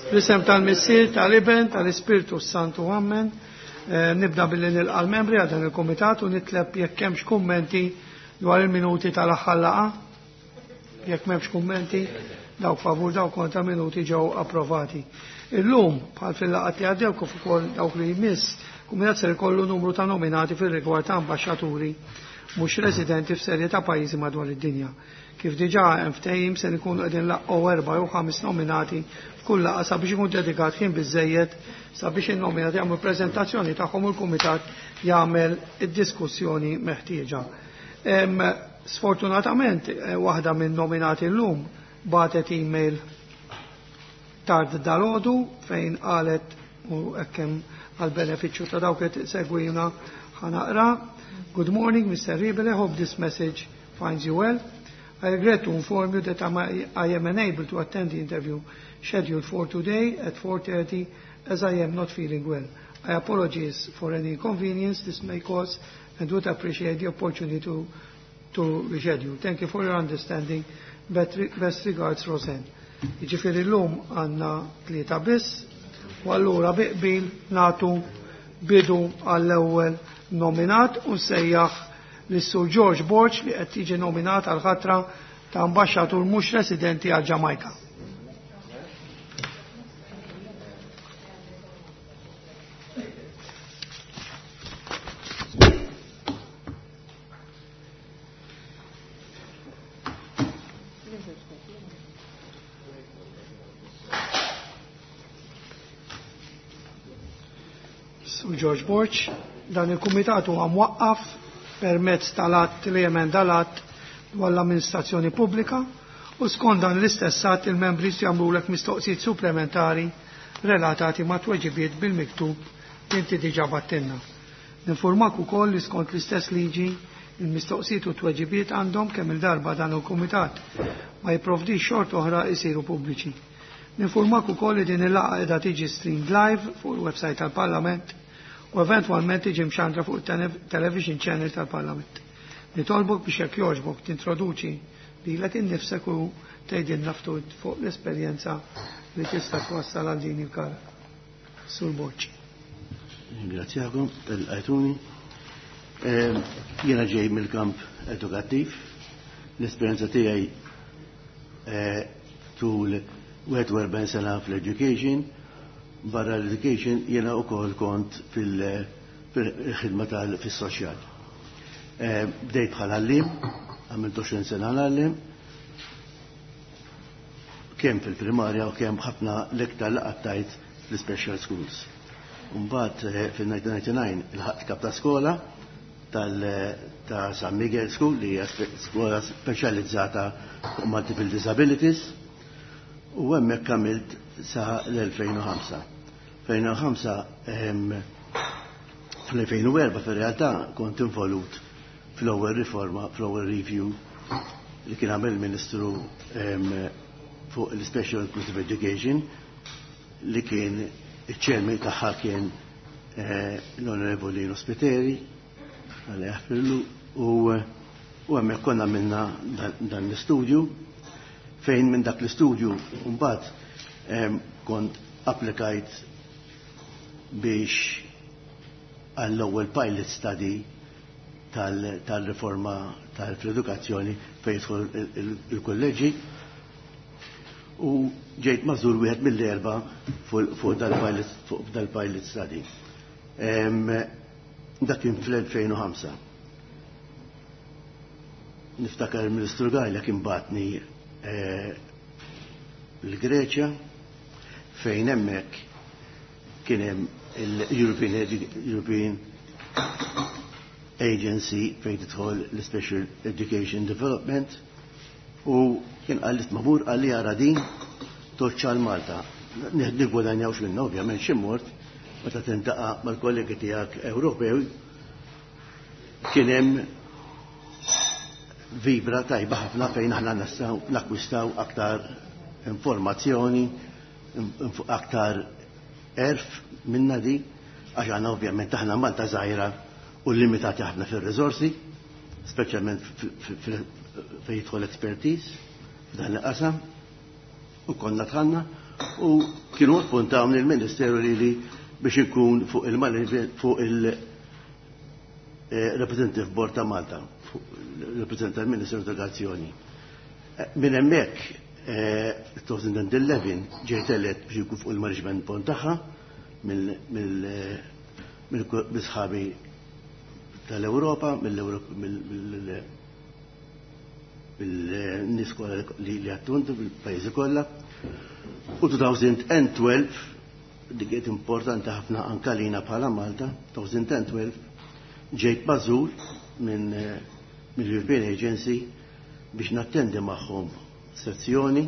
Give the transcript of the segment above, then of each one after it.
Fl-isem tal-Missier, tal-Iben, tal-Ispirtu Santu, Amen. Nibda billi nilqa' l-membri għal dan il-kumitat u nitleb jekk hemmx kummenti dwar il-minuti tal-aħħar laqgħa. Jekk m'hemmx kummenti, dawk favur, dawk kontra, minuti ġew approvati. Illum, bħal fil-laqgħat li għaddew kif ukoll dawk li jmiss, kumitat ser ikollu numru ta' nominati fir-rigward ta' ambaxxaturi mhux residenti f'serje ta' pajjiżi madwar id-dinja. Kif diġà hemm ftehim, se nkunu qegħdin nlaqqgħu erba' jew ħames nominati f'kull laqgħa sabiex ikun dedikat ħin biżejjed sabiex in-nominati jagħmlu preżentazzjoni tagħhom u l-kumitat jagħmel id-diskussjoni meħtieġa. Sfortunatament, waħda minn nominati llum bagħtet email tard dalgħodu fejn qalet, u hekk hemm għall-benefiċċju ta' dawk li segwina ħa naqra: "Good morning, Mr. Ribele, hope this message finds you well. I regret to inform you that I am unable to attend the interview scheduled for today at 4:30 as I am not feeling well. I apologize for any inconvenience this may cause and would appreciate the opportunity to reschedule. Thank you for your understanding. Best regards, Roseanne." Jiġifieri llum għandna tlieta biss, u allura bi qbil nagħtu bidu għall-ewwel nominat u nsejjaħ lis-Sur George Borg li qed jiġi nominat għal ħatra ta' ambaxxatur mhux residenti għal Ġamajka. Sur George Borg, dan il-kumitat huwa mwaqqaf permezz tal-att li jemenda l-att dwar l-amministrazzjoni pubblika, u skont dan l-istess att il-membri jagħmlulek mistoqsijiet supplementari relatati ma' tweġibiet bil-miktub li inti diġà battilna. Ninformak ukoll li skont l-istess liġi il-mistoqsijiet u tweġibiet għandhom, kemm il-darba dan il-kumitat ma jipprovdix xort oħra, isiru pubbliċi. Ninformak ukoll li din il-laqgħa qiegħda tiġi streamed live fuq il-website tal-Parlament u eventwalment tiġi mxandra fuq il-television channel tal-Parlament. Nitolbok biex, jekk jogħġbok, tintroduċi lilek innifsek u tgħidilna ftit fuq l-esperjenza li tista' twassal għal din il-kariga. Sur Borg. Ringrazzjakom tal-għajtuni. Jiena ġej mill-kamp edukattiv. L-esperjenza tiegħi tul 41 sena fl-education. Barra l-education jiena wkoll kont fil-ħidma tal-fis-soċjal. Bdejt bħala għalliem, għamilt 20 sena għalliem, kemm fil-primarja u kemm ħafna l-iktar li qattajt fl-special schools. Mbagħad fil-1999 ilħaqt kap ta' skola ta' San Miguel School, li hija skola speċjalizzata fuq multiple disabilities, u hemmhekk għamilt sa l-2005. 2005, fl-2004 fir-realtà kont involut fl-ewwel riforma, fl-ewwel review li kien għamel il-Ministru fuq l-Special Inclusive Education, li kien iċ-chairman tagħha kien l-Onorevoli Spiteri, Alla jaħfirlu, u hemmhekk konna minna dan l-istudju, fejn minn dak l-istudju mbagħad kont applikajt biex għall-ewwel pilot study tal-riforma tal-edukazzjoni fejn jidħol il-kolleġi, u ġejt magħżul wieħed mill-erba' fuq dal-pilot study. Dak kien fl-2005. Niftakar il-Ministru Galea kien bagħatni l-Greċja, fejn hemmhekk kien hemm il-European Agency fejn tidħol l-Special Education Development, u kien qalli tmur, qalli ara din toċċa l-Malta. Nigwadanjawx minna ovvjament xi mort, meta tintaqa' mal-kollegi tiegħek Ewropew kien hemm vibra tajba ħafna fejn aħna nistgħu nakkwistaw aktar informazzjoni, aktar għerf minna di, għax għandna ovvjament aħna Malta żgħira u limitati ħafna fir-riżorsi, speċjalment fejn jidħol expertise f'dan il-qasam, u konna dħalna. U kienu appuntawni l-Ministeru li biex ikun fuq il-fuq il-Representative Board ta' Malta, reprezentant tal-Ministeru tal-Edukazzjoni. Minn hemmhekk 2011 ġejt elett biex ikun fuq il-management board tagħha mill-sħabi tal-Ewropa, mill-nies kollha li attuntu bil-pajjiżi kollha. U 2012, dik kienet importanti ħafna anke lina bħala Malta, 2012 ġejt magħżul minn mill-European Agency biex nattendi magħhom sezzjoni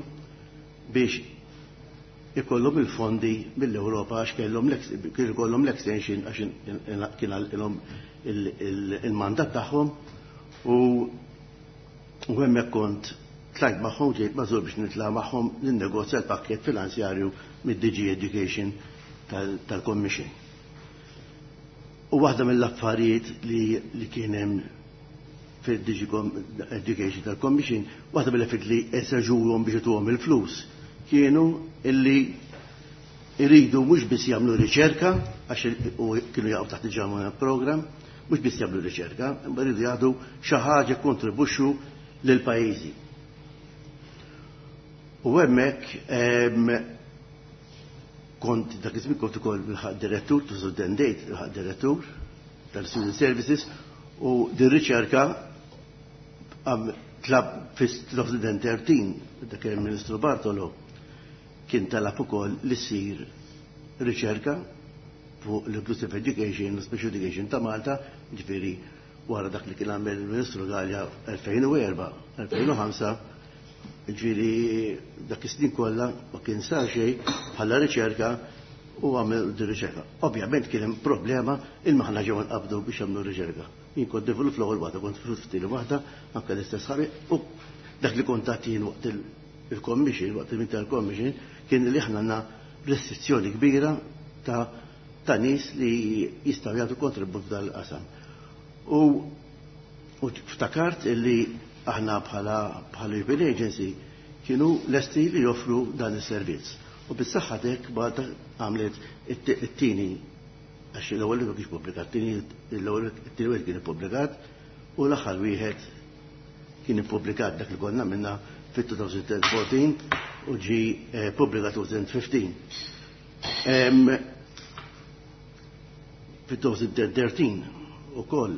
biex ikollhom il-fondi mill-Ewropa għax kellhom ikollhom l-extension għax kien għalihom il-mandat tagħhom u hemmhekk kont tlajt magħhom, ġejt magħżul biex nitla' magħhom ninnegozja l-pakkett finanzjarju mid-DG Education tal-Commission. U waħda mill-affarijiet li kien hemm fil-DG Education tal-Commission, waħda mill-affarijiet li eseġuhom biex ituhom il-flus, kienu illi iridu mhux biss jagħmlu riċerka, għax kienu jaqgħu taħt il-German Program, mhux biss jagħmlu riċerka, imma jridu jagħtu xi ħaġa kontribwixxu lil pajjiżi. U hemmhekk kont dak iż-żmien kont ukoll il-ħaq direttur, 2008 il-ħaq direttur tal-Student Services, u din riċerka tlab fis-2013 dak il-Ministru Bartolo kien talab ukoll li ssir riċerka fuq l-Inclusive Education, l-Special Education ta' Malta, ġifieri wara dak li kien għamel il-Ministru Galea 2004, 2005, ġifieri dak is-snin kollha ma kien sar xejn bħala riċerka u għamel di riċerka. Ovvjament kien hemm problema imma aħna ġew nqabdu biex jagħmlu riċerka. Jien kont develop l-ewwel waħda, kont ftit waħda, anke l-istess ħabi, u dak li kont jien waqt il-commission, waqt il-meeting tal-commission, kien li aħna għandna restrizzjoni kbira ta' nies li jistgħu jagħtu kontribut dal-qasam. U ftakart illi aħna bħala European Agency kienu lesti li joffru dan is-servizz. U bis-saħħa tek Malta għamlet it-tieni, għax l-ewwel ma kienx pubblikat, l-ewwel it-tieni wieħed kien ippubblikat u l-aħħar wieħed kien ippubblikat dak li konna minna fit-2014 u ġi pubblikat 2015. Fit-2013 ukoll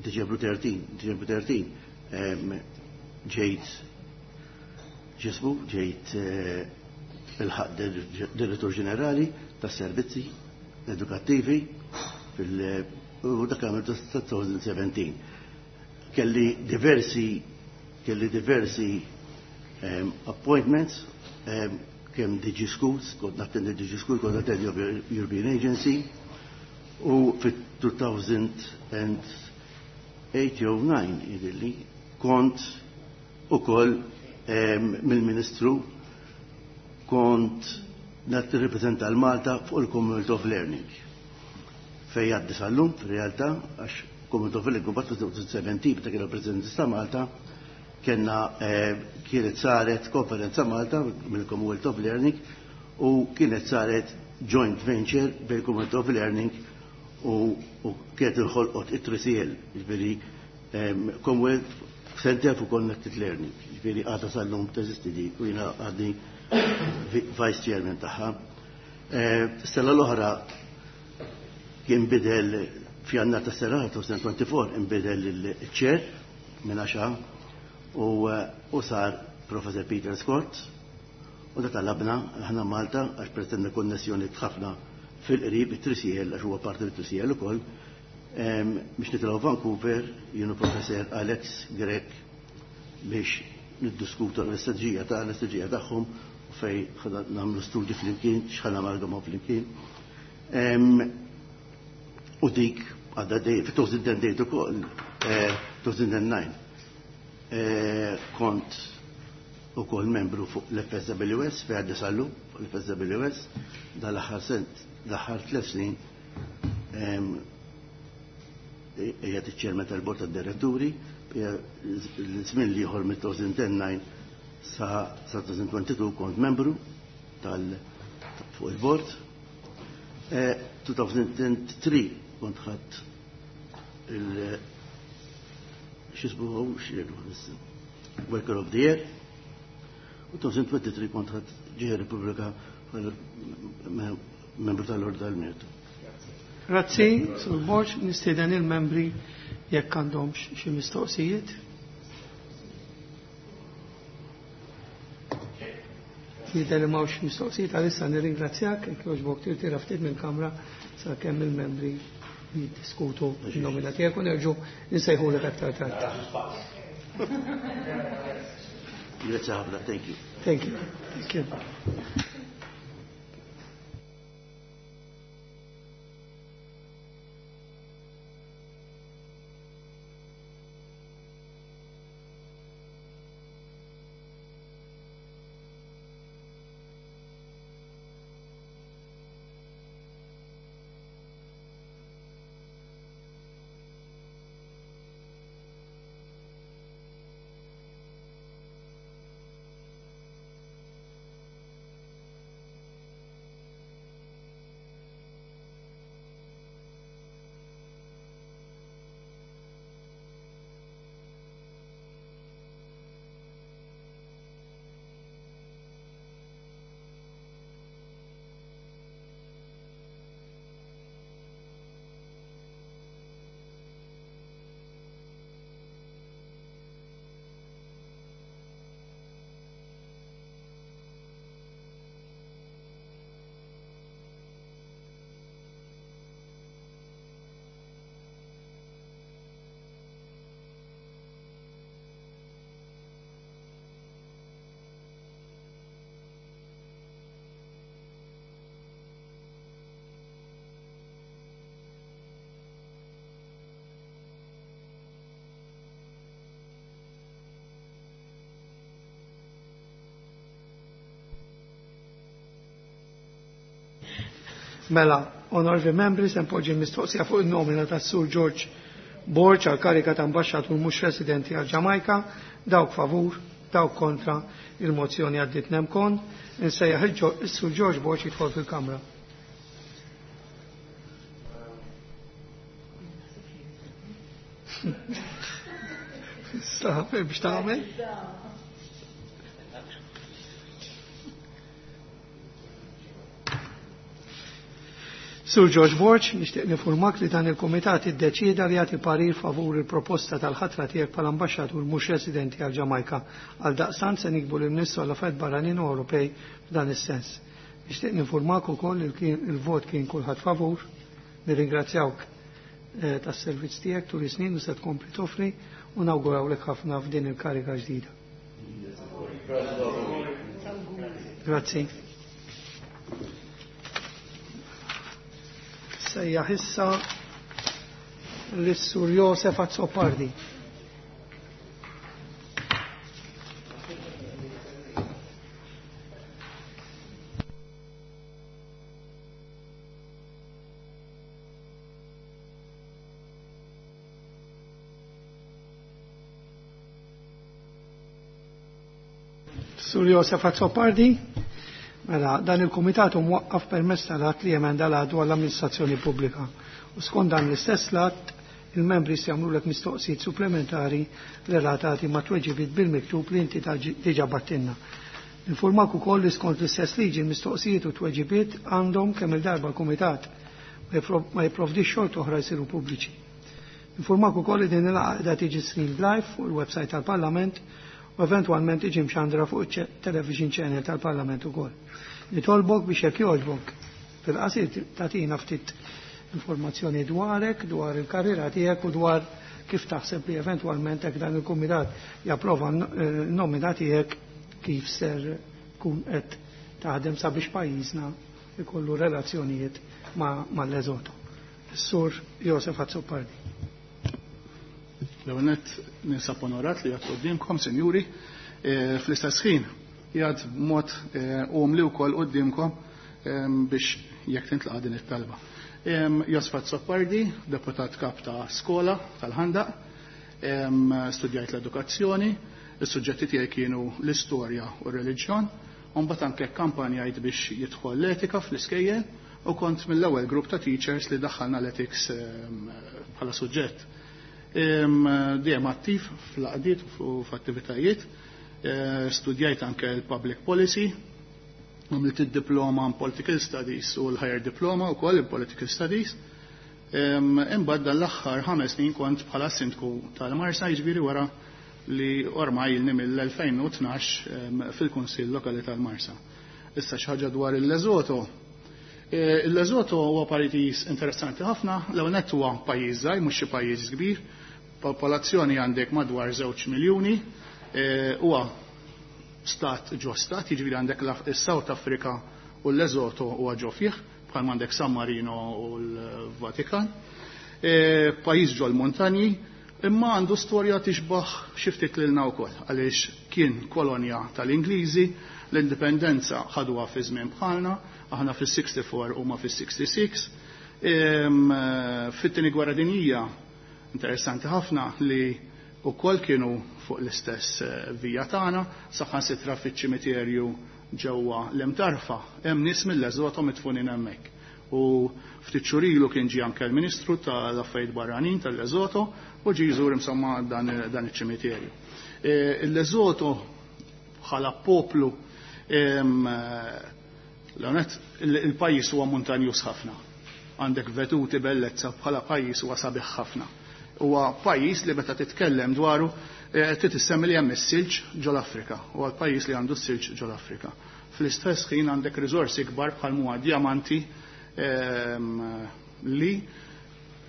Diċembru 13, Diċembru 13, ġejt ġismu, ġejt il-ħaq direttur ġenerali tas servizzi edukattivi fil- u dak għamil 2017. Kelli diversi appointments, kemm DG Schools, kont nattendi DG Schools, kont nattendi European Agency, u fit-2008 jew 9 jidhirli kont ukoll mill-Ministru kont nirrappreżenta l-Malta fuq il-Commonwealth of Learning. Fej għaddi sal-lum, fil-realtà, għax Commonwealth of Learning mbagħad 2017 meta kien il-President ta' Malta, kellna kienet saret konferenza Malta mill-Commonwealth of Learning u kienet saret joint venture bil Commonwealth of Learning u kienet inħolqot it-3CL, ġifieri Commonwealth Center for Connected Learning, ġifieri għadha sal-lum teżisti di u jiena għadni Vice Chairman tagħha. Sena l-oħra kien bidel f'Jannar ta' sena 2024 inbidel il-chair minn għaxa u sar Professor Peter Scott u da talabna aħna Malta għax pretenna konnessjoni ħafna fil-qrib it-3CL għax huwa parti mit-3CL ukoll biex nitilgħu Vancouver jienu Professor Alex Grech biex niddiskutu l-istrateġija ta' l-istrateġija tagħhom u fej nagħmlu studji flimkien, x'ħa namalgamaw flimkien. U dik għadha dej, fi-2008 ukoll, 2009, kont ukoll membru fuq l-FSWS, fej għaddi sallu fuq l-FSWS, dal-aħħar sent, l-aħħar 3 snin, qiegħed iċ-chairman tal-bord tad-diretturi, l-żmien l-ieħor mit-2009. Sa 2022 kont membru tal fuq il-bord. 2003 kont ħadd il xisbu Worker of the Year. U 2023 kont ħadd ġieħ Repubblika membru tal-Ordni tal-Mertu. Grazzi, Sur Borg, nistieden il-membri jekk għandhom xi mistoqsijiet. Jidher li m'hawnx mistoqsijiet għalissa nirringrazzjak, jekk jogħġbok tirtira ftit mill-kamra sakemm il-membri jiddiskutu n-nomina tiegħek u nerġgħu nsejħulek aktar tard. Grazzi ħafna, thank you. Thank you. Thank you. Mela, onorevoli membri, se npoġġi mistoqsija fuq il-nomina tas-Sur George Borg għal karika ta' ambaxxatur mhux residenti għal Ġamajka, dawk favur, dawk kontra, il-mozzjoni għaddit nemkon, insejjaħ is-Sur George Borg jidħol fil-Kamra. Issa, biex tagħmel? Sur George Borg, nixtieq nifurmak li dan il-Kumitat iddeċieda li jagħti parir favur il-proposta tal-ħatra tiegħek bħala ambaxxatur mhux residenti għal Ġamajka. Għal daqstant se nikbu lil Ministru għall Affarijiet Barranin u Ewropej f'dan is-sens. Nixtieq nifurmak ukoll li il-vot kien kulħadd favur. Nirringrazzjawk tas-servizz tiegħek tul is-snin u se tkompli toffri u nawgurawlek ħafna f'din il-kariga ġdida. Grazzi. Sejjaħ issa lis-Sur Josef Azzopardi. Sur Josef Azzopardi, mela dan il-Kumitat hu mwaqqaf permezz tal-att li jemenda l-għadu għall-amministrazzjoni pubblika. U skont dan l-istess l-att, il-membri se jagħmlulek mistoqsijiet supplementari relatati ma' tweġibiet bil-miktub li inti diġà battinna. Informak ukoll li skont l-istess liġi l-mistoqsijiet u tweġibiet għandhom kemm il-darba l-Kumitat ma jipprovdix xorta oħra jsiru pubbliċi. Informak ukoll li din il-laqgħa qiegħda tiġi streamed live fuq il-website tal-Parlament u eventwalment tiġi mxandra fuq il-television channel tal-Parlament ukoll. Nitolbok biex jekk jogħġbok fil-qasir tagħtina ftit informazzjoni dwarek, dwar il-karriera tiegħek u dwar kif taħseb li eventwalment hekk dan il-kumitat japprova n-nomina tiegħek kif ser tkun qed taħdem sabiex pajjiżna ikollu relazzjonijiet mal-Lesotho. Is-Sur Josef Azzopardi. L-ewwel nett ninsab onorat li qed quddiemkom, sinjuri, fl-istess ħin jgħad b'mod umli wkoll quddiemkom biex jekk tintlaqa' din it-talba. Josef Azzopardi, deputat kap ta' skola tal-Ħandaq, studjajt l-edukazzjoni, Is-suġġetti tiegħi kienu l-istorja u r-reliġjon, u mbagħad anke kampanjajt biex jidħol l-etika fl-iskejjel u kont mill-ewwel grupp ta' teachers li daħħalna l-ethics bħala suġġett. Dejjem attiv fl-għaqdiet u f'attivitajiet, studjajt anke l-public policy, għamilt id-diploma in political studies u l-higher diploma wkoll in political studies. Imbagħad dan l-aħħar 5 snin kont bħala sindku tal-Marsa, jiġifieri wara li ormai ilni mill-2012 fil-Kunsill Lokali tal-Marsa. Issa xi ħaġa dwar il-Lesotho. Il-Lesotho huwa pajjiż interessanti ħafna, l-ewwel nett huwa pajjiż żgħir, mhux xi pajjiż kbir, popolazzjoni għandek madwar 2 miljuni, huwa stat ġo stat, jiġifieri għandek is-South Africa u l-Lesotho huwa ġo fih, bħal għandek San Marino u l-Vatikan. Pajjiż ġo l-montanji, imma għandu storja tixbaħ xi ftit lilna wkoll, għaliex kien kolonja tal-Ingliżi, l-indipendenza ħaduha fi żmien bħalna, aħna fis-64 huma fis-66. Fit-tieni gwerra dinjija, interessanti ħafna li wkoll kienu fuq l-istess vija tagħna, saħansitra fiċ-ċimiterju ġewwa l-Imtarfa, hemm nies mill-Lesotho midfunin hemmhekk. U ftit xhur ilu kien ġie anke l-Ministru tal-Affarijiet Barranin tal-Lesotho u ġie jżur insomma dan iċ-ċimiterju. Il-Lesotho bħala poplu, l-għonet, il-pajjiż huwa montanjuż ħafna. Għandek vetuti bellezza bħala pajjiż huwa sabiħ ħafna. Huwa pajjiż li meta titkellem dwaru trid issemmi li hemm is-silġ ġol-Afrika. Huwa l-pajjiż li għandu s-silġ ġol-Afrika. Fl-istess ħin għandek riżorsi kbar bħal huwa djamanti, li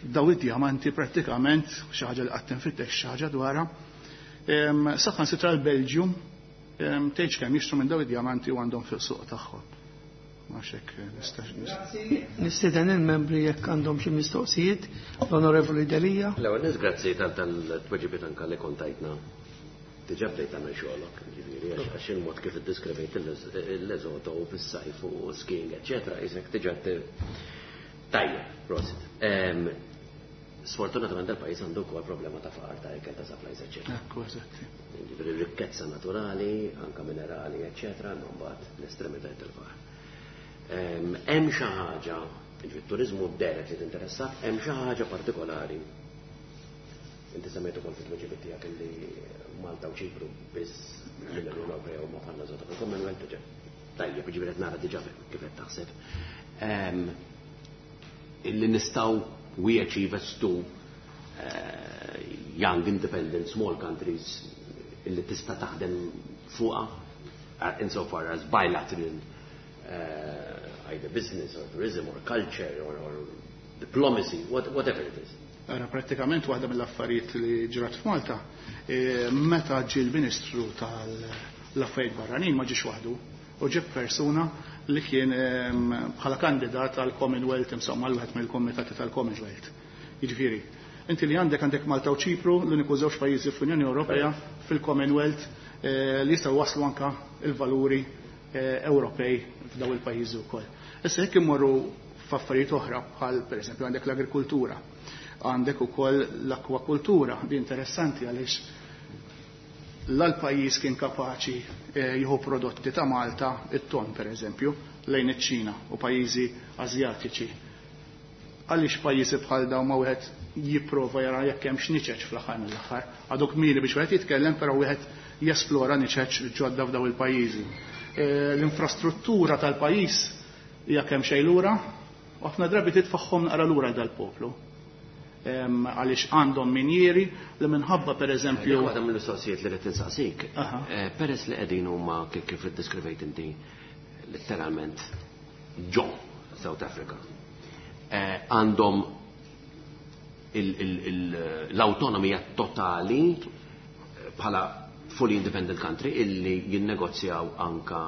daw id-djamanti prattikament xi ħaġa li qatt tinfittex xi ħaġa dwarha. Saħansitra l-Belġium tgħidx kemm jixtru minn daw id-djamanti u għandhom fil-suq tagħhom. Ma xek nistax Nistieden il-membri jekk għandhom xi mistoqsijiet, l-Onorevoli Delia. L-ewwel nies grazzi tal-tweġibiet anke li kontajtna. Diġà bdejt tagħmel xogħolok, ġifieri għax il-mod kif iddiskrivejt il-Lesotho u fis-sajf u skiing, eċċetera, isek diġà tajjeb, prosit. Sfortunatament dal-pajjiż għandu wkoll problema ta' faqar ta' ikel ta' supplies, eċċetera. Ekku, eżatti. Ġifieri rikkezza naturali, anke minerali, eċċetera, imma mbagħad l-estremitajiet tal-faqar. Hemm xi ħaġa, ġifieri turiżmu deret li tinteressak, hemm xi ħaġa partikolari. Inti semmejt ukoll fit-tweġibiet tiegħek illi Malta u Ċipru biss mill-Unjoni Ewropea u ma bħalna żota fil-Commonwealth diġà. Tajjeb, ġifieri qed nara diġà kif qed taħseb. Illi nistgħu we achieve as two young independent small countries illi tista' taħdem fuqha insofar as bilateral either business or tourism or culture or diplomacy, whatever it is. Ara, pratikament waħda mill-affarijiet li ġrat f'Malta, meta ġie l-Ministru tal-Affarijiet Barranin ma ġiex waħdu, u ġib persuna li kien bħala kandidat għal Commonwealth, insomma, għal wieħed mill-komitati tal-Commonwealth. Jiġifieri, inti li għandek Malta u Ċipru, l-uniku żewġ pajjiżi fl-Unjoni Ewropea fil-Commonwealth li jistgħu waslu anka il-valuri Ewropej f'daw il-pajjiżi wkoll. Issa jekk immorru f'affarijiet oħra bħal pereżempju għandek l-agrikultura, għandek ukoll l-akwakultura, di interessanti għaliex l-pajjiż kien kapaċi jieħu prodotti ta' Malta, it-ton pereżempju, lejn iċ-Ċina u pajjiżi Asjatiċi. Għaliex pajjiżi bħal dawn ma wieħed jipprova jara jekk hemm x'niċeċ fl-aħħar mill-aħħar. Għadu kmieni biex wieħed jitkellem, però wieħed jesplora niċeċ ġodda f'daw il-pajjiżi. L-infrastruttura tal-pajjiż hija kemm xejn lura, u ħafna drabi titfaħħom naqra lura dal-poplu. Għaliex għandhom minjieri li minħabba per eżempju. Waħda mill-mistoqsijiet li qed insaqsik. Peress li qegħdin huma kif iddeskrivejt inti letteralment ġo South Africa. Għandhom l-autonomija totali bħala fully independent country illi jinnegozjaw anka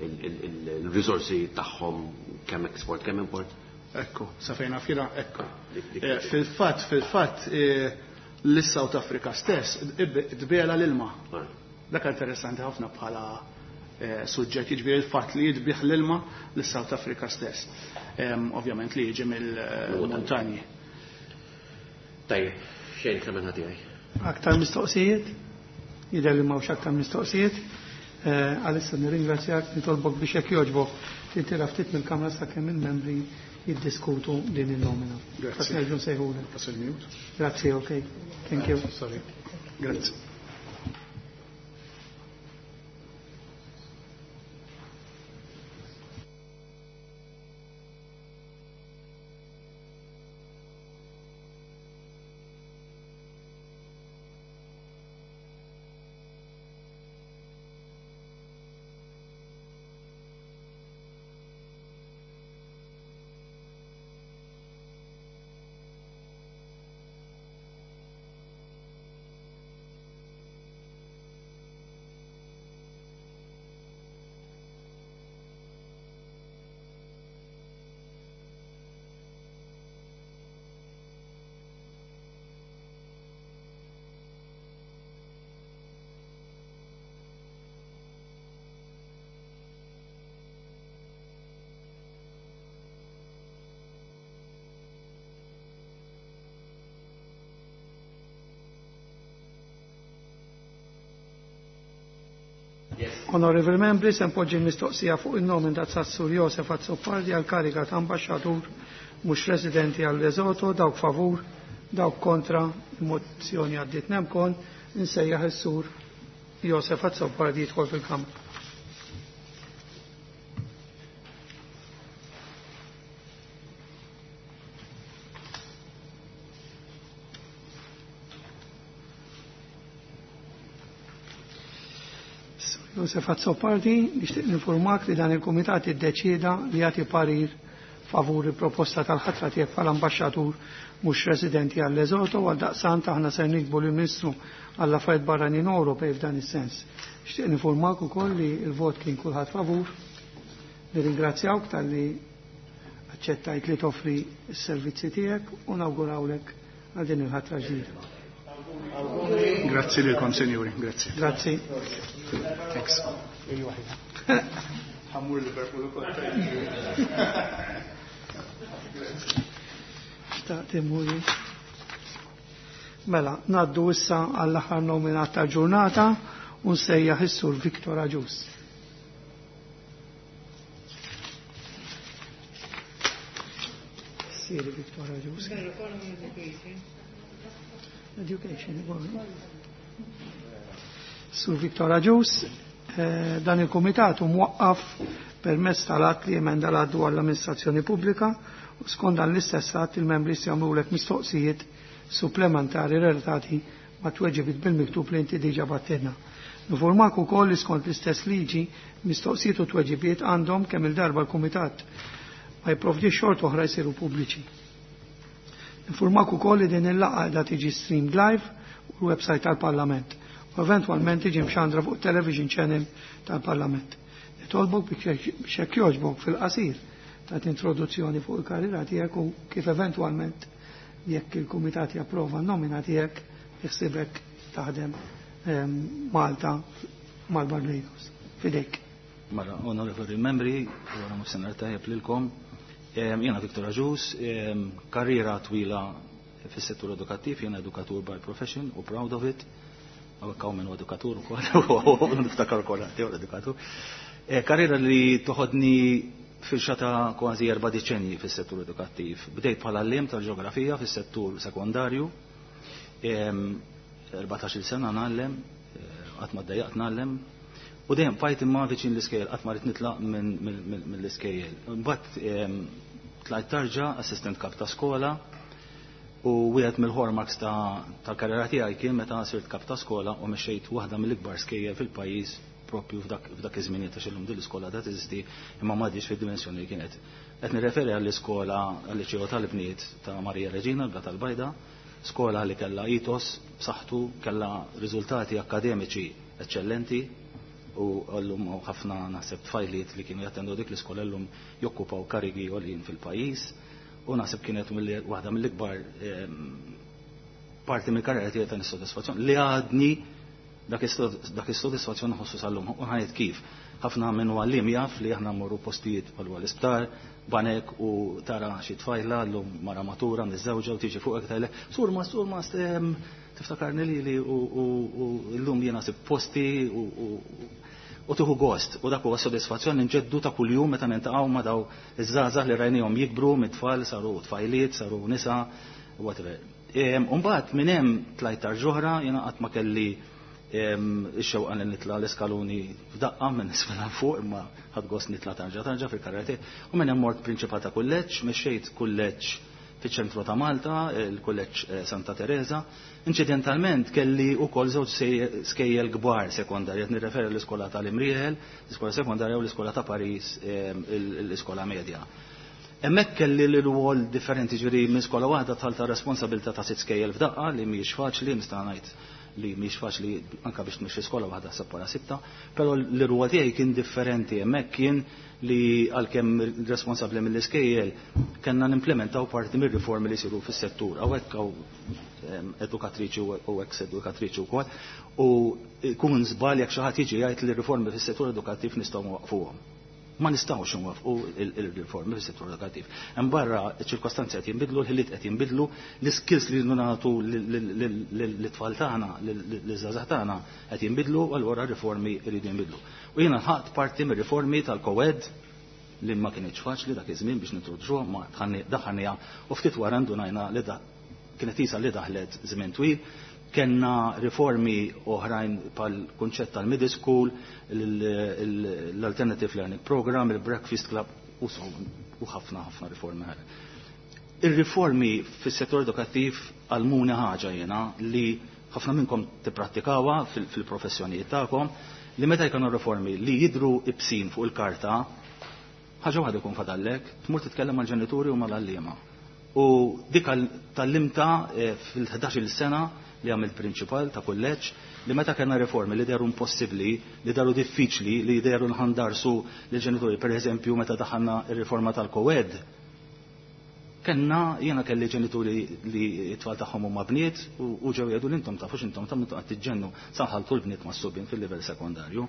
il-risorsi tagħhom kemm export kemm import. Ekku, sa fejna fira, ekku. Fil-fatt, l-South Africa stess tbela l-ilma. Dak interessanti ħafna bħala suġġett, jiġifieri il-fatt li jitbih l-ilma l-South Africa stess. Ovvjament li jiġi mill-montanji. Tajjeb, xejn kemm minn ħati. Aktar mistoqsijiet? Jidher li m'hawnx aktar mistoqsijiet. Għalissa nirringrazzjak, nitolbok biex jekk jogħġbok tintira ftit mill-Kamra sakemm il-membri jiddiskutu din il-nomina. Grazzi. Nerġgħu nsejħulek. Pasal minut. Grazzi, ok. Thank you. Sorry. Grazzi. Onorevoli membri, se npoġġi l-mistoqsija fuq il-nomina ta' Sur Josef Azzopardi għal kariga ta' ambasċatur mhux residenti għal Lesotho, dawk favur, dawk kontra, il-mozzjoni għaddiet nemkon, insejjaħ is-Sur Josef Azzopardi jidħol fil-Kamra. Josef Azzopardi, nixtieq ninformak li dan il-Kumitat iddeċieda li jagħti parir favur il-proposta tal-ħatra tiegħek bħala ambaxxatur mhux residenti għal Lesotho, għal daqsant aħna ser nikbu lill-Ministru għall affarijiet barranin Ewropej f'dan is-sens. Nixtieq ninformak ukoll li l-vot kien kulħadd favur. Nirringrazzjawk talli aċċettajt li toffri s-servizzi tiegħek u nawgurawlek għal din il-ħatra ġdida. Grazzi lilkom, senjuri. Grazzi. Grazzi. Thanks. Ħammur Liverpool ukoll. Xtaqt immur. Mela, naddu issa għall-aħħar nominat ta' ġurnata u nsejjaħ is-Sur Victor Agius. Siri Victor Agius. Education. Sur Victor Agius, dan il-komitat hu mwaqqaf permezz tal-att li emenda l-att dwar l-amministrazzjoni pubblika u skont dan l-istess att il-membri se jagħmlulek mistoqsijiet supplementari relatati ma' tweġibiet bil-miktub li inti diġà battilna. Nifurmak ukoll li skont l-istess liġi mistoqsijiet u tweġibiet għandhom kemm il-darba l-kumitat ma jipprovdix xort oħra jsiru pubbliċi. Nifurmak ukoll li din il-laqgħa qiegħda tiġi streamed live u l-website tal-Parlament u eventwalment tiġi mxandra fuq television channel tal-Parlament. Nitolbok biex hekk jogħġbok fil-qasir ta' introduzzjoni fuq il-karriera tiegħek u kif eventwalment jekk il-kumitat japprova n-nomina tiegħek jħsibek taħdem Malta mal-Barbados. Fidejk. Mela, onorevoli membri, wara nofsinhar tajjeb lilkom. Jiena Victor Agius, karriera twila fis-settur edukattiv, jiena edukatur by profession u proud of it. Hawnhekk hawn min hu edukatur ukoll, niftakar ukoll għandi edukatur. Karriera li toħodni firxa ta' kważi 4 deċenji fis-settur edukattiv. Bdejt bħala għalliem tal-ġeografija fis-settur sekondarju. 14-il sena ngħallem, qatt ma ddejjaqt ngħallem. U dejjem bqajt imma viċin l-iskejjel, qatt ma rrid nitlaq mill-iskejjel. Mbagħad tlajt tarġa assistent kap ta' skola u wieħed mill-hallmarks tal-karriera tiegħi kien meta sirt kap ta' skola u mexxejt waħda mill-ikbar skejjel fil-pajjiż propju f'dak iż-żminijiet għax illum din l-iskola da teżisti imma m'għadix fid-dimensjoni li kienet. Qed nirreferi għall-iskola għal-Liċeo tal-Bniet ta' Marija Reġina, l-Blat tal-Bajda, skola li kellha ethos b'saħħtu, kellha riżultati akademiċi eċċellenti u llum hawn ħafna naħseb tfajliet li kienu jattendu dik l-iskola llum jokkupaw karigi għoljin fil-pajjiż u naħseb kienet waħda mill-ikbar parti mill-karriera tiegħi ta' nissodisfazzjon li għadni Dak is-sodisfazzjon nħossu sal-lum. U ħajt kif. Ħafna minn għallim jaf li aħna mmorru postijiet bħal l-isptar, banek u tara xi tfajla llum mara matura miżżewġa u tiġi fuqek tgħidlek, surma, surma, tiftakarni lili u llum jiena sib posti u tieħu gost. U dak huwa sodisfazzjon nġeddu ta' kuljum meta niltaqgħu ma' daw iż-żgħażagħ li rajnihom jikbru mit-tfal saru tfajliet, saru nisa, whatever. Umbagħad minn hemm tlajt tarġa jiena qatt ma kelli ix-xewqa li nitla' l-iskaluni f'daqqa minn isfel għal fuq, imma ħadt gost nitla' tarġa tarġa fil-karriera tiegħi. U minn hemm mort prinċipal ta' kulleġġ, mexxejt kulleġġ fiċ-ċentru ta' Malta, il-kulleġġ Santa Teresa. Inċidentalment kelli wkoll żewġ skejjel kbar sekondarja, qed nirreferi l-iskola tal-Imrieħel, l-iskola sekondarja u l-iskola ta' Paris, l-iskola medja. Hemmhekk kelli l-rwol differenti, ġifieri minn skola waħda dħalt responsabilità ta' sitt skejjel f'daqqa li mhijiex faċli, nista' ngħid li mhijiex faċli anke biex tmexxi skola waħda seppara sitta, però l-rwol tiegħi kien differenti. Hemmhekk kien li għalkemm responsabbli mill-iskejjel kellna nimplementaw parti mir-riformi li jsiru fis-settur. Hawnhekk hawn edukatriċi u ex edukatriċi wkoll, u jkun żball jekk xi ħadd jiġi jgħid li r-riformi fis-settur edukattiv nistgħu nwaqqfuhom. Ma nistgħux nwaffqu il-riformi fis-settur edukattiv. Hemm barra ċ-ċirkostanzi qed jinbidlu, l-ħiliet qed jinbidlu, l-iskills li nagħtu lit-tfal tagħna, liż-żgħażagħ tagħna qed jinbidlu, u allura r-riformi jridu jinbidlu. U jiena ħadt parti mir-riformi tal-co-ed li ma kienx faċli dak iż-żmien biex nintroduċuha, ma daħħalniha u ftit wara ndunajna li kienet isa li daħlet żmien twil. Kenna riformi oħrajn pal kunċett tal-middle school, l-Alternative Learning Program, il-Breakfast Club, u so, u ħafna ħafna riformi oħra. Ir-riformi fis-settur edukattiv għallmuni ħaġa jiena li ħafna minnkom tipprattikawha fil-professjonijiet tagħkom, li meta jkunu riformi li jidru ibsin fuq il-karta, ħaġa waħda jkun fadallek, tmur titkellem mal-ġenituri u mal-għalliema. U dik tal-limta fil-11-il sena li għamilt prinċipal ta' kulleġġ, li meta kellna riformi li deru impossibbli, li deru diffiċli, li deru nħandarsu lill-ġenituri, per eżempju meta daħalna r-riforma tal-co-ed, kellna jiena kelli ġenituri li t-tfal tagħhom huma bniet u ġew jgħidu li intom tafux intom tagħmlu qed tiġġennu saħaltu l-bniet mas-subien fil-livell sekondarju.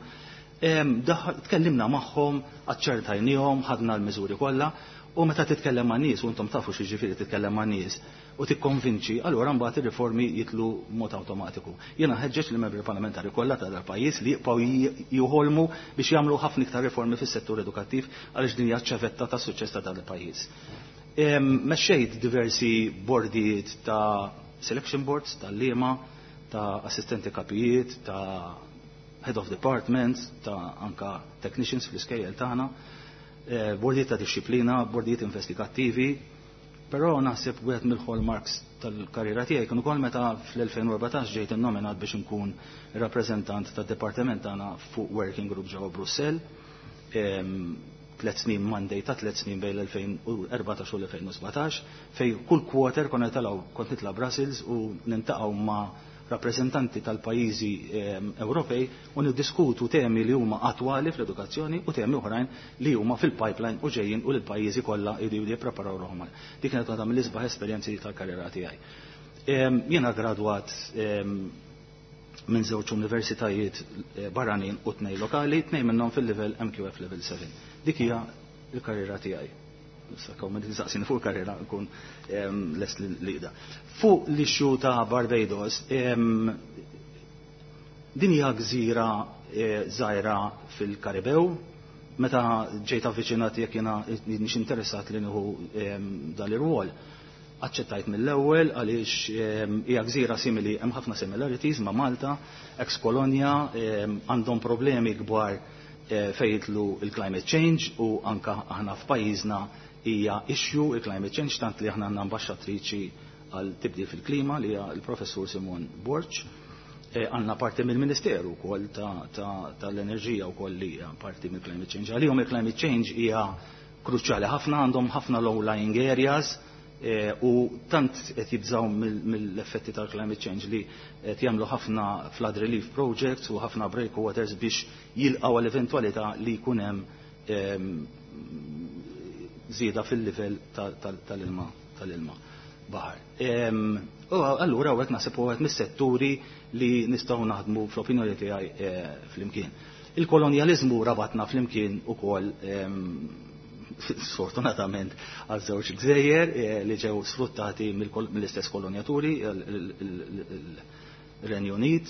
Tkellimna magħhom, aċċertajniehom, ħadna l-miżuri kollha, u meta titkellem ma' nies, u intom tafu x'jiġifieri titkellem ma' nies, u tikkonvinċi, allura mbagħad ir-riformi jitlu mod awtomatiku. Jiena ħeġġeġ lill-membri parlamentari kollha ta' dal-pajjiż li jibqgħu joħolmu biex jagħmlu ħafna iktar riformi fis-settur edukattiv għaliex din hija ċ-ċavetta tas-suċċess ta' dan il-pajjiż. Mexxejt diversi bordijiet ta' selection boards, tal-liema, ta' assistenti kapijiet, ta' head of departments, ta' anka technicians fl-iskejjel tagħna, bordijiet ta' disċiplina, bordijiet investigattivi, però naħseb wieħed mill-hallmarks tal-karriera tiegħi kien ukoll meta fl-2014 ġejt innominat biex inkun rappreżentant tad-dipartiment tagħna fuq working group ġewwa Brussell. 3 snin mandate ta' 3 snin bejn l-2014 u l-2017, fej kull quarter konna nitilgħu, kont nitla' Brussels u nintaqgħu ma' rappreżentanti tal-pajjiżi Ewropej u niddiskutu temi li huma attwali fl-edukazzjoni u temi oħrajn li huma fil-pipeline u ġejjin u l-pajjiżi kollha jridu jippreparaw ruħhom. Dik kienet waħda mill-isbaħ esperjenzi tal-karriera tiegħi. Jiena gradwat minn żewġ universitajiet barranin u 2 lokali, 2 minnhom fil-livell MQF level 7. Dik hija l-karriera tiegħi. Issa kaw ma tinsaqsini fuq il-karriera nkun lest li da. Fuq l-issue ta' Barbados, din hija gżira żgħira fil-Karibew. Meta ġejt avviċinat jekk jiena nix interessat li nieħu dan ir-rwol, aċċettajt mill-ewwel għaliex hija gżira simili, hemm ħafna similarities ma' Malta, ex kolonja, għandhom problemi kbar fejn jidħlu il-climate change u anka aħna f'pajjiżna hija issue il-climate change, tant li aħna għandna ambaxxatriċi għal tibdil fil-klima li hija l-professur Simon Borg. Għandna parti mill-Ministeru wkoll tal-enerġija wkoll li hija parti mill-climate change. Għalihom il-climate change hija kruċjali ħafna, għandhom ħafna low-lying areas, u tant qed jibżgħu mill-effetti tal-climate change li qed jagħmlu ħafna flood relief projects u ħafna breakwaters biex jilqgħu għall-eventwalità li jkun hemm żieda fil-livell tal-ilma. baħar. U allura hawnhekk naħseb huwa mis-setturi li nistgħu naħdmu fl-opinjoni tiegħi flimkien. Il-kolonjaliżmu rabatna flimkien ukoll, sfortunatament, għal żewġ gżejjer li ġew sfruttati mill-istess kolonjaturi, il-Renju Unit.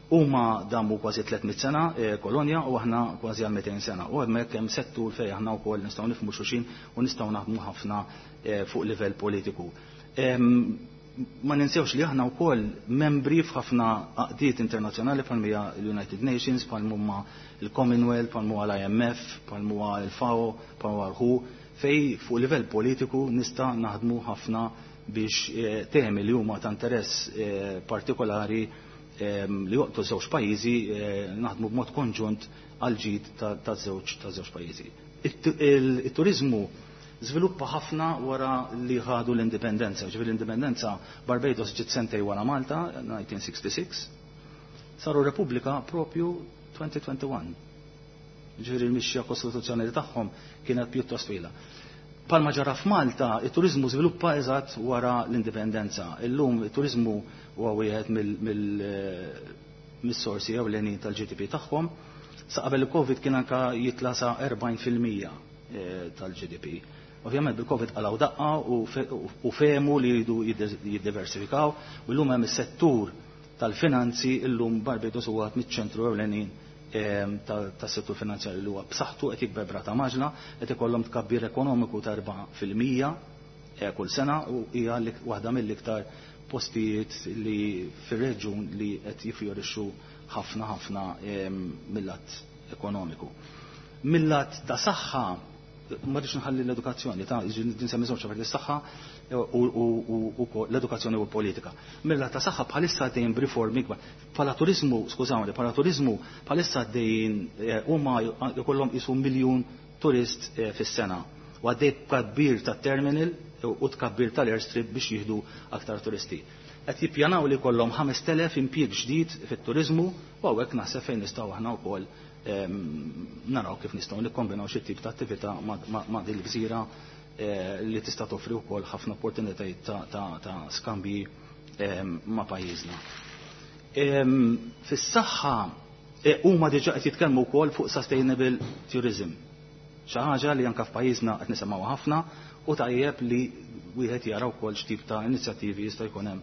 Huma damu kważi 300 sena kolonja u aħna kważi għal 200 sena. U hemmhekk hemm settur fejn aħna wkoll nistgħu nifhmu xulxin u nistgħu naħdmu ħafna fuq livell politiku. Ma ninsewx li aħna wkoll membri f'ħafna għaqdiet internazzjonali bħal hija l-United Nations, bħal huma l-Commonwealth, bħal huwa l-IMF, bħal huwa l-FAO, bħal huwa l-WHO, fej fuq livell politiku nista' naħdmu ħafna biex temi li huma ta' interess partikolari li joqtu żewġ pajjiżi naħdmu b'mod konġunt għal ġid ta' żewġ pajjiżi. Il-turizmu żviluppa ħafna wara li ħadu l-indipendenza. Ġifieri l-indipendenza Barbados ġiet sentej wara Malta, 1966, saru Repubblika propju 2021. Ġifieri l-mixja kostituzzjonali tagħhom kienet pjuttost twila. Palma ġara f'Malta, it-turizmu żviluppa eżatt wara l-indipendenza. Illum it-turizmu huwa wieħed mis-sorsi ewlenin tal-GDP tagħhom. Sa qabel il-Covid kien anka jitla sa 40% tal-GDP. Ovvjament bil-Covid qalgħu daqqa u fehmu li jridu jiddiversifikaw u llum hemm is-settur tal-finanzi. Illum Barbados huwa miċ-ċentru ewlenin tas-settur finanzjarju li huwa b'saħħtu, qed jikber b'rata maġla, qed ikollhom tkabbir ekonomiku ta' 4% kull sena u hija waħda mill-iktar postijiet li fir-reġjun li qed jifjorixxu ħafna ħafna mill-lat ekonomiku. Mill-lat ta' saħħa, ma rridx nħalli l-edukazzjoni, ta' nsemmi żewġ affarijiet, is-saħħa u l-edukazzjoni u l-politika. Mill-lat ta' saħħa bħalissa għaddejjin b'riformi kbar. Bħala turizmu, skużawni, bħala turizmu bħalissa għaddejjin, huma jkollhom qisu 1 miljun turist fis-sena. U għaddej tkabbir tat-terminal u tkabbir tal-airstrip biex jieħdu aktar turisti. Qed jippjanaw li jkollhom 5000 impjieg ġdid fit-turizmu u hawnhekk naħseb fejn nistgħu aħna wkoll naraw kif nistgħu nikkombinaw xi tip ta' attività ma' din il-gżira li tista' toffri wkoll ħafna opportunitajiet ta' skambji ma' pajjiżna. Fis-saħħa huma diġà qed jitkellmu wkoll fuq sustainable tourism. Xi ħaġa li anke f'pajjiżna qed nisimgħu ħafna u tajjeb li wieħed jara wkoll x'tip ta' inizjattivi jista' jkun hemm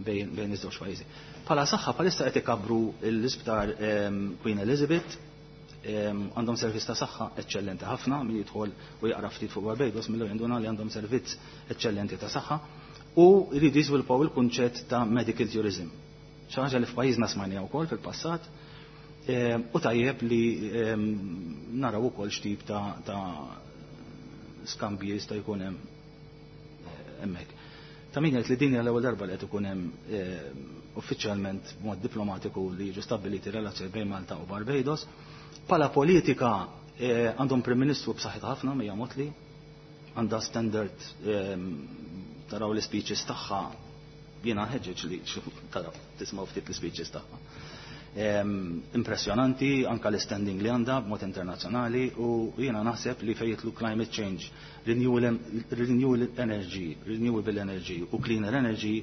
bejn iż-żewġ pajjiżi. Bħala saħħa bħalissa qed ikabru l-isptar Queen Elizabeth, għandhom servizz ta' saħħa eċċellenti ħafna. Min jidħol u jaqra ftit fuq Barbados mill jinduna li għandhom servizz eċċellenti ta' saħħa u jridu jiżviluppaw il-kunċett ta' medical tourism. Xi ħaġa li f'pajjiżna smajnija wkoll fil-passat u tajjeb li naraw ukoll x'tip ta' skambji jista' jkun hemm hemmhekk. Ta' min jgħid li din hija l-ewwel darba li qed ikun hemm uffiċjalment b'mod diplomatiku li jiġu stabbiliti relazzjoni bejn Malta u Barbados. Bħala politika għandhom Prim Ministru b'saħħitha ħafna, Mia Mottley, għandha standard, taraw l-speeches tagħha, jiena ħeġġeġ li taraw tismgħu ftit l-speeches tagħha. Impressjonanti anka l-standing li għandha b'mod internazzjonali u jiena naħseb li fejn jidħlu climate change, renewable energy, renewable energy u cleaner energy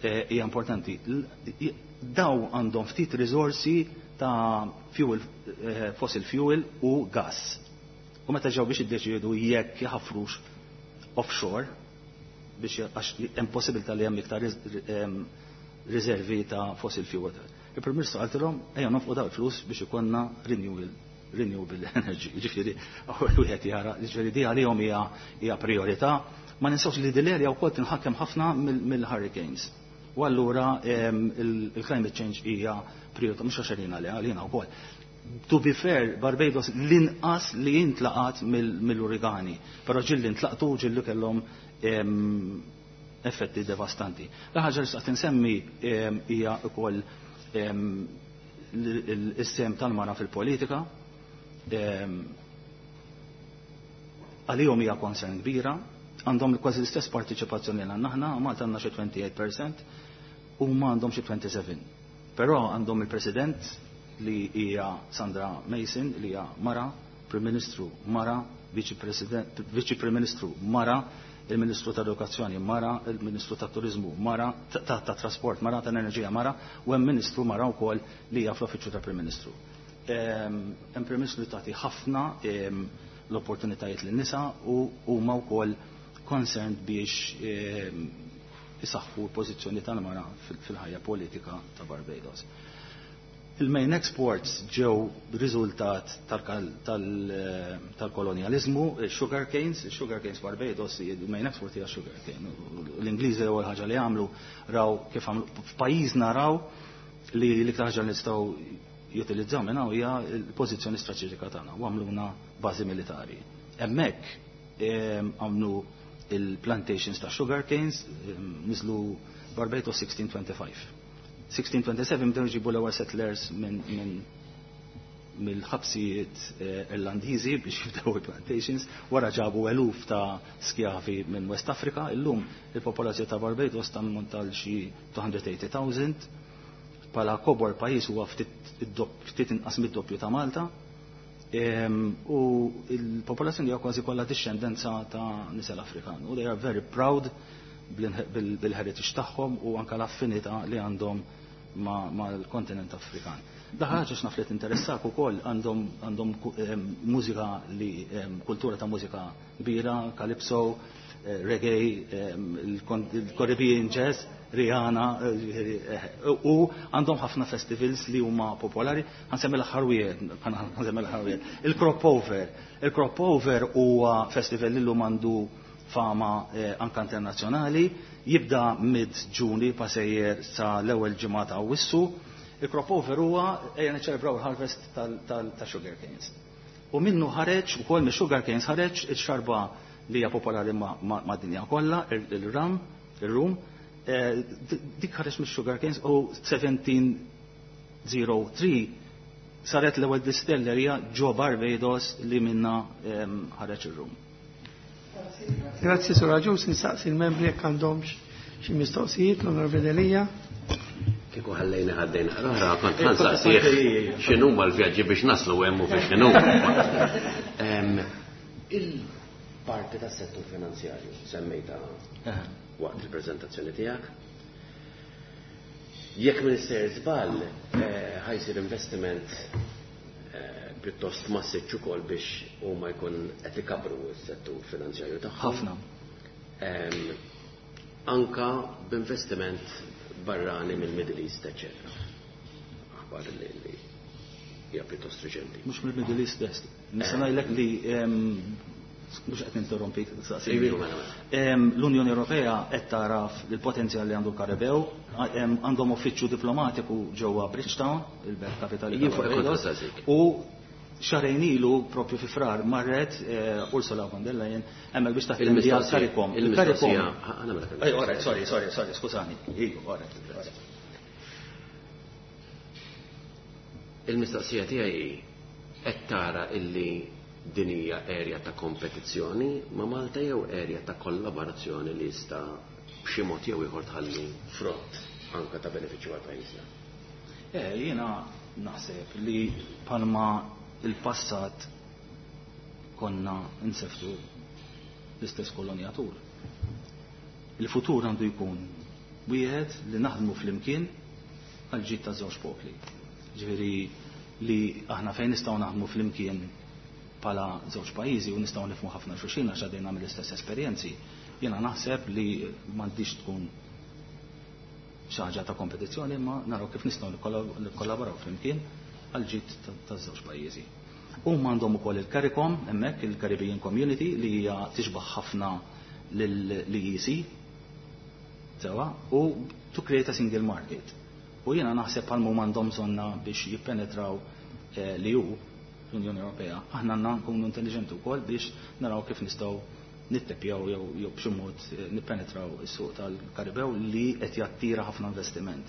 hija importanti. Daw għandhom ftit risorsi ta' fuel, fossil fuel u gas. U meta ġew biex iddeċiedu jekk jħafrux offshore biex, għax hemm possibilità li hemm iktar riservi ta' fossil fuel. Il-Prim Ministru qaltilhom: "Ejja nonfqu daw il-flus biex ikollna renewable energy." Ġifieri wieħed jara, ġifieri di għalihom hija priorità. Ma ninsewx li din l-area wkoll tinħakem ħafna mill-hurricanes. U allura il-climate change hija priorità mhux għax għalina, li għalina wkoll. To be fair, Barbados l-inqas li jintlaqat mill-uragani, però ġieli ntlaqtu, ġieli kellhom effetti devastanti. L-ħaġa li staqt insemmi hija wkoll is-sehem tal-mara fil-politika. Għalihom hija concern kbira, għandhom kważi l-istess partiċipazzjoni li għandna aħna, Malta għandna xi 28% u ma għandhom xi 27. Però għandhom il-President li hija Sandra Mason, li hija mara, Prim Ministru mara, Viċi Prim Ministru mara. Il-Ministru tal-Edukazzjoni mara, il-Ministru tat-Turiżmu mara, tat-Trasport mara, tal-Enerġija mara, u hemm Ministru mara wkoll li hija fl-Uffiċċju tal-Prim Ministru. Hemm Prim Ministru li tagħti ħafna l-opportunitajiet lin-nisa u huma wkoll concerned biex isaħħu l-pożizzjoni tal-mara fil-ħajja politika ta' Barbados. Il-main exports ġew riżultat tal-kolonjaliżmu, sugar canes, sugar canes Barbados, il-main export hija sugar cane. L-Ingliżi l-ewwel ħaġa li għamlu raw kif għamlu f'pajjiżna raw li l-iktar ħaġa li nistgħu jutilizzaw minn hawn hija l-pożizzjoni strateġika tagħna u għamluna bażi militari. Hemmhekk għamlu il-plantations ta' sugar canes, niżlu Barbados 1625. 1627 bdew jġibu l-ewwel settlers minn mill-ħabsijiet Irlandiżi biex jibdew il-plantations, wara ġabu eluf ta' skjavi minn West Africa, illum il-popolazzjoni ta' Barbados tammonta għal xi 280,000, bħala kobor pajjiż huwa ftit inqas mid-doppju ta' Malta, u il-popolazzjoni hija kważi kollha dixxendenza ta' nisel Afrikan. U they are very proud bil-heritage tagħhom u anka l-affinità li għandhom mal-kontinent Afrikan. Daħħaġa x'naf li tinteressak ukoll għandhom mużika li kultura ta' mużika kbira, calypso, reggae, il-Caribbean jazz, Rihanna, u għandhom ħafna festivals li huma popolari. Ħa nsemmi l-aħħar wieħed, ħa nsemmi l-aħħar wieħed. Il-Crop Over. Il-Crop Over huwa festival li llum għandu fama anka internazzjonali, jibda mid-Ġuni pasejjer sa l-ewwel ġimgħa ta' Awwissu. Il-Crop Over huwa ejja niċċelebraw il-harvest ta' sugar canes. U minnu ħareġ ukoll mix-sugar canes ħareġ ix-xarba li hija popolari mad-dinja kollha, il-rum, il-rum, dik ħareġ mix-sugar canes u 1703 saret l-ewwel distillerija ġo Barbados li minna ħareġ ir-rum. Grazzi, Sur Agius, nistaqsi il-membri jekk għandhomx xi mistoqsijiet, l-Onorevoli Delia. Kieku ħallejna ħaddejna oħra, kont ħa nsaqsih x'inhuma l-vjaġġi biex naslu hemm u biex x'inhu. Il-parti tas-settur finanzjarju semmejta waqt il-preżentazzjoni tiegħek. Jekk m'iniex sejjer żball, ħa jsir investiment pjuttost massiċċ ukoll biex huma jkun qed ikabru s-settur finanzjarju tagħhom. Ħafna. Anka b'investiment barrani mill-Middle East, eccetera. Aħbar li hija pjuttost reċenti. Mhux mill-Middle East best. Nista' ngħidlek li mhux qed ninterrompik, saqsini. Iva, mela, mela. L-Unjoni Ewropea qed taraf il-potenzjal li għandu l-Karibew, għandhom uffiċċju diplomatiku ġewwa Bridgetown, il-belt kapitali Jien fuq ta' Barbados, kont saqsik. u xahrejn ilu propju fi Frar marret Ursula von der Leyen hemmhekk biex taħdem Il-mistoqsija, CARICOM. il-mistoqsija, Il-CARICOM. ħa nagħmel Ej, all right, sorry, sorry, sorry, skużani. Iva, all right, all right. Il-mistoqsija tiegħi hi qed tara illi din hija area ta' kompetizzjoni ma' Malta jew area ta' kollaborazzjoni li jista' b'xi mod jew ieħor tħalli frott anka ta' benefiċċju għal pajjiżna. Jiena naħseb li palma il-passat konna nseftu l-istess kolonjatur. Il-futur għandu jkun wieħed li naħdmu flimkien għal ġid ta' żewġ popli. Ġifieri li aħna fejn nistgħu naħdmu flimkien bħala żewġ pajjiżi u nistgħu nifhmu ħafna xulxin għax għaddejna mill-istess esperjenzi, jiena naħseb li m'għandix tkun xi ħaġa ta' kompetizzjoni, imma naraw kif nistgħu nikkollaboraw flimkien għal ġid ta' żewġ pajjiżi. Huma għandhom ukoll il-CARICOM hemmhekk, il-Caribbean Community, li hija tixbaħ ħafna lill-EEC, sewa, u to create a single market. U jiena naħseb bħal huma għandhom bżonna biex jippenetraw li hu l-Unjoni Ewropea. Aħna għandna nkunu intelligenti wkoll biex naraw kif nistgħu nittepjaw jew b'xi mod nippenetraw is-suq tal-Karibew li qed jattira ħafna investiment.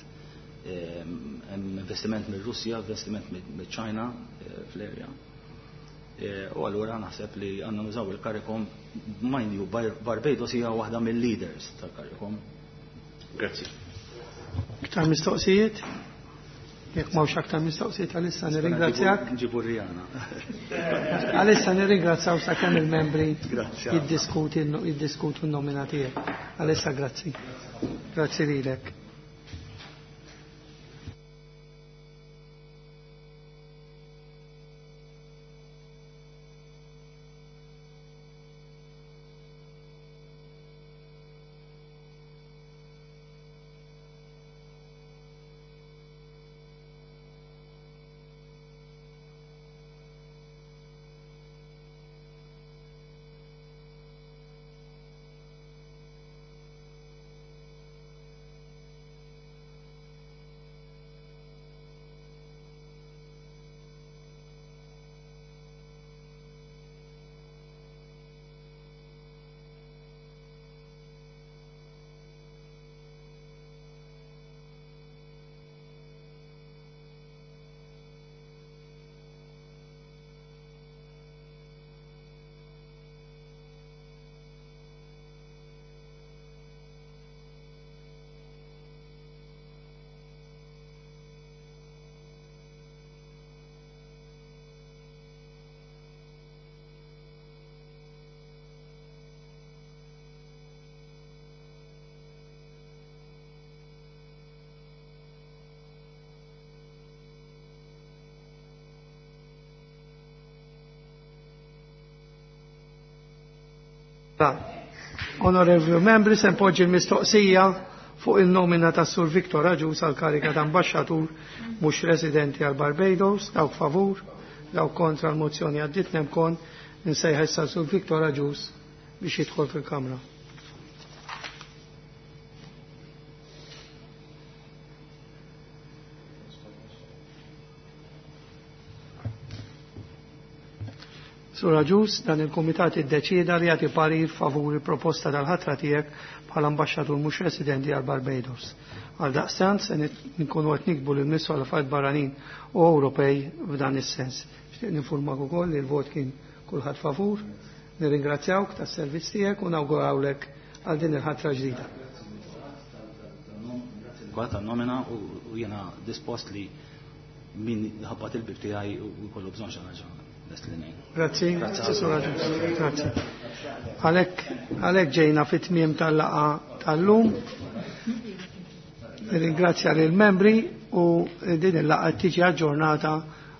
Hemm investiment mir-Russja, investiment mill-Ċina fl-area. U allura naħseb li għandna nużaw il-CARICOM, mind you, Barbados hija waħda mill-leaders tal-CARICOM. Grazzi. Iktar mistoqsijiet? Jekk m'hawnx aktar mistoqsijiet għalissa nirringrazzjak. Nġibu Rihanna. Għalissa nirringrazzaw sakemm il-membri jiddiskutu n-nomina tiegħek. Għalissa grazzi. Grazzi lilek. Onorevoli membri, se npoġġi l-mistoqsija fuq il-nomina ta' Sur Viktor Agius għal kariga ta' ambasċatur mhux residenti għal Barbados, dawk favur, dawk kontra l-mozzjoni għaddit nemkon, nsejħ issa Sur Viktor Agius biex jidħol fil-Kamra. Sur Agius, dan il-Kumitat iddeċieda li jagħti parir favur il-proposta tal-ħatra tiegħek bħala ambaxxatur mhux residenti għal Barbados. Għal daqstant se nkunu qed nikbu lil Ministru għal Affarijiet Barranin u Ewropej f'dan is-sens. Nixtieq ninfurmak ukoll li l-vot kien kulħadd favur. Nirringrazzjawk tas-servizz tiegħek u nawgurawlek għal din il-ħatra ġdida. Grazzi tan-nomina u jiena dispost li min ħabbat il-bib tiegħi u jkollu bżonn xi ħaġa. Grazzi, grazzi. Għalhekk ġejna fit-tmiem tal-laqgħa tal-lum. Ringrazzja lill membri u din il-laqgħa tiġi aġġornata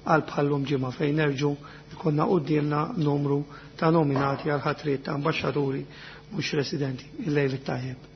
għal bħallum ġimgħa fejn nerġu jkollna quddiemna numru ta' nominati għal ħatriet ta' ambaxxaturi mhux residenti. Il-lejl it-tajjeb.